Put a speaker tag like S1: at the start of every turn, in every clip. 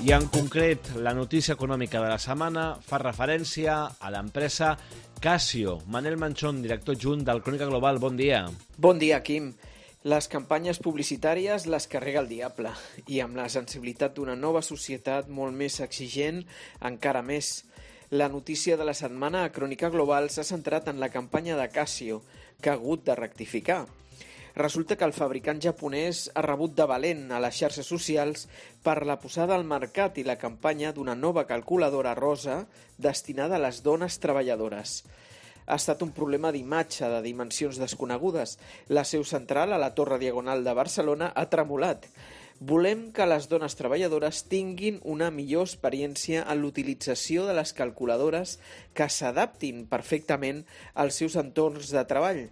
S1: I en concret, la notícia econòmica de la setmana fa referència a l'empresa Casio. Manel Manchón, director adjunt del Crònica Global, bon dia.
S2: Bon dia, Quim. Les campanyes publicitàries les carrega el diable i amb la sensibilitat d'una nova societat molt més exigent, encara més. La notícia de la setmana a Crònica Global s'ha centrat en la campanya de Casio, que ha hagut de rectificar. Resulta que el fabricant japonès ha rebut de valent a les xarxes socials per la posada al mercat i la campanya d'una nova calculadora rosa destinada a les dones treballadores. Ha estat un problema d'imatge de dimensions desconegudes. La seu central, a la Torre Diagonal de Barcelona, ha tremolat. Volem que les dones treballadores tinguin una millor experiència en l'utilització de les calculadores que s'adaptin perfectament als seus entorns de treball,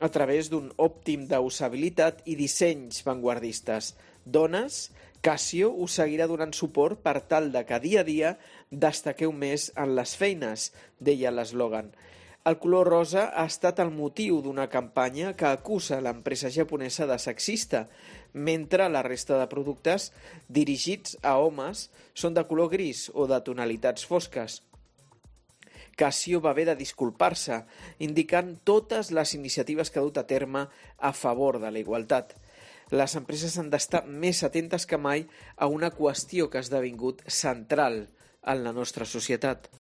S2: a través d'un òptim d'usabilitat i dissenys vanguardistes. Dones, Casio us seguirà donant suport per tal de que dia a dia destaqueu més en les feines, deia l'eslògan. El color rosa ha estat el motiu d'una campanya que acusa l'empresa japonesa de sexista, mentre la resta de productes dirigits a homes són de color gris o de tonalitats fosques. Casio va haver de disculpar-se, indicant totes les iniciatives que ha dut a terme a favor de la igualtat. Les empreses han d'estar més atentes que mai a una qüestió que ha esdevingut central en la nostra societat.